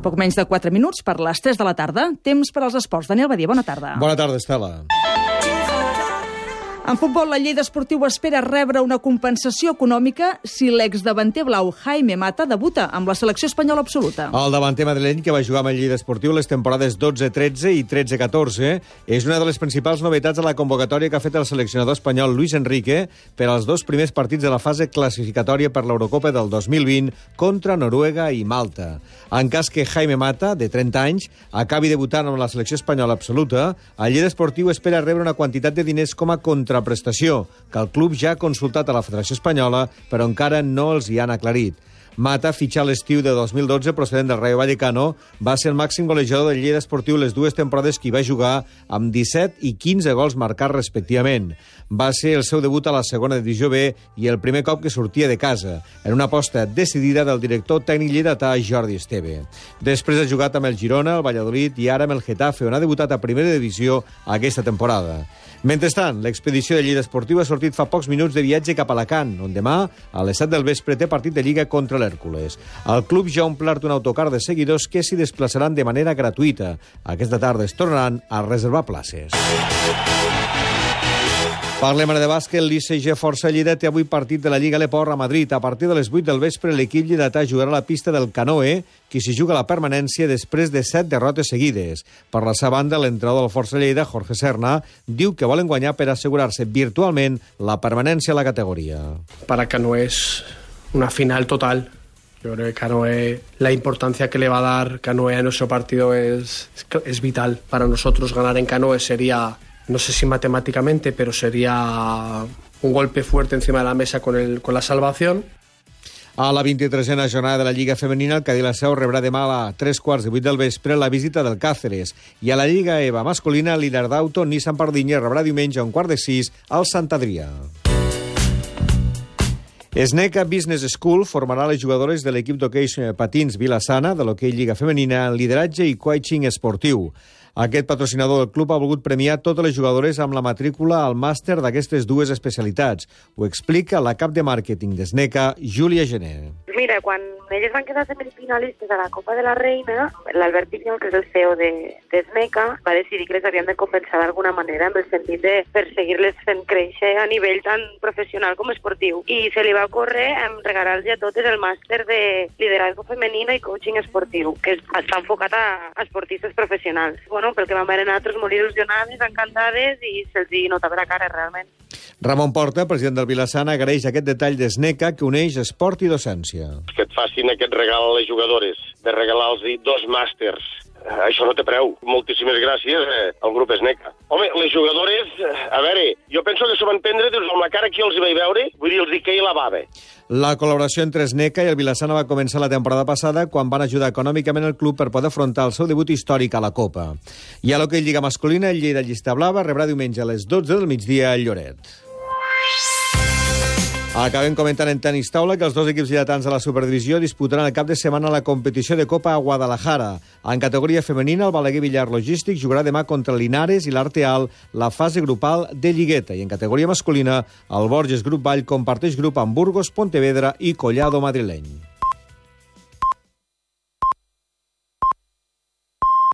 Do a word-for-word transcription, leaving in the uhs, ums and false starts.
Poc menys de quatre minuts per les tres de la tarda. Temps per als esports. Daniel Badia, bona tarda. Bona tarda, Estela. En futbol, la Lleida Esportiu espera rebre una compensació econòmica si l'exdavanter blau Jaime Mata debuta amb la selecció espanyola absoluta. El davanter madrileny, que va jugar amb el Lleida Esportiu les temporades dotze tretze i tretze catorze, és una de les principals novetats de la convocatòria que ha fet el seleccionador espanyol Luis Enrique per als dos primers partits de la fase classificatòria per l'Eurocopa del dos mil vint contra Noruega i Malta. En cas que Jaime Mata, de trenta anys, acabi debutant amb la selecció espanyola absoluta, el Lleida Esportiu espera rebre una quantitat de diners com a contraprestació, que el club ja ha consultat a la Federació Espanyola, però encara no els hi han aclarit. Mata, fitxat l'estiu de dos mil dotze procedent del Rayo Vallecano, va ser el màxim golejador del Lleida Esportiu les dues temporades que hi va jugar, amb disset i quinze gols marcats respectivament. Va ser el seu debut a la segona divisió B i el primer cop que sortia de casa, en una aposta decidida del director tècnic lleidatà Jordi Esteve. Després ha jugat amb el Girona, el Valladolid i ara amb el Getafe, on ha debutat a primera divisió aquesta temporada. Mentrestant, l'expedició de Lleida Esportiu ha sortit fa pocs minuts de viatge cap a Alacant, on demà, a les set del vespre, té partit de Lliga contra l'Hèrcules. El club ja ha omplert un autocar de seguidors que s'hi desplaçaran de manera gratuïta. Aquesta tarda es tornaran a reservar places. Parlem ara de bàsquet. L'I C G Força Lleida té avui partit de la Lliga Leport a Madrid. A partir de les vuit del vespre, l'equip lleidatà jugarà a la pista del Canoe, qui s'hi juga la permanència després de set derrotes seguides. Per la seva banda, l'entrenador del Força Lleida, Jorge Serna, diu que volen guanyar per assegurar-se virtualment la permanència a la categoría. Para Canoe es una final total. Yo creo que Canoe, la importancia que le va a dar Canoe a nuestro partido es, es vital. Para nosotros ganar en Canoe sería, no sé si matemáticamente, pero sería un golpe fuerte encima de la mesa con, el, con la salvación. A la vint-i-tresena jornada de la Lliga Femenina, el Cadí La Seu rebrà demà a tres quarts de vuit del vespre la visita del Càceres. I a la Lliga E V A masculina, l'Inardauto Nissan Pardinya rebrà diumenge a un quart de sis al Sant Adrià. Sneca Business School formarà les jugadores de l'equip d'hoquei patins Vila-sana de l'hoquei Lliga Femenina en lideratge i coaching esportiu. Aquest patrocinador del club ha volgut premiar totes les jugadores amb la matrícula al màster d'aquestes dues especialitats. Ho explica la cap de màrqueting de Sneca, Júlia Gené. Mira, quan elles van quedar semifinalistes a la Copa de la Reina, l'Albert Pinyol, que és el C E O de, de Sneca, va decidir que les havien de compensar d'alguna manera en el sentit de perseguir-les fent créixer a nivell tant professional com esportiu. I se li va ocórrer regalar-los a totes el màster de liderazgo femenino i coaching esportiu, que està enfocat a esportistes professionals. Bueno, pel que vam veure nosaltres molt il·lusionades, encantades i se'ls hi notava la cara, realment. Ramon Porta, president del Vila-sana, agraeix aquest detall de Sneca que uneix esport i docència. Que et facin aquest regal a les jugadores, de regalar-los dos màsters. Això no té preu. Moltíssimes gràcies eh, al grup Sneca. Home, les jugadores, a veure, jo penso que s'ho van prendre doncs, amb la cara que els hi vaig veure, vull dir, els hi queia la bava. La col·laboració entre Sneca i el Vila-sana va començar la temporada passada quan van ajudar econòmicament el club per poder afrontar el seu debut històric a la Copa. I a l'hoquei Lliga masculina, el Lleida Llista Blava rebrà diumenge a les dotze del migdia al Lloret. Acabem comentant en tenis taula que els dos equips lleidatans de la Superdivisió disputaran el cap de setmana la competició de Copa a Guadalajara. En categoria femenina, el Balaguer Villar Logístic jugarà demà contra l'Linares i l'Arteal la fase grupal de Lligueta. I en categoria masculina, el Borges Grup Vall comparteix grup amb Burgos, Pontevedra i Collado madrileny.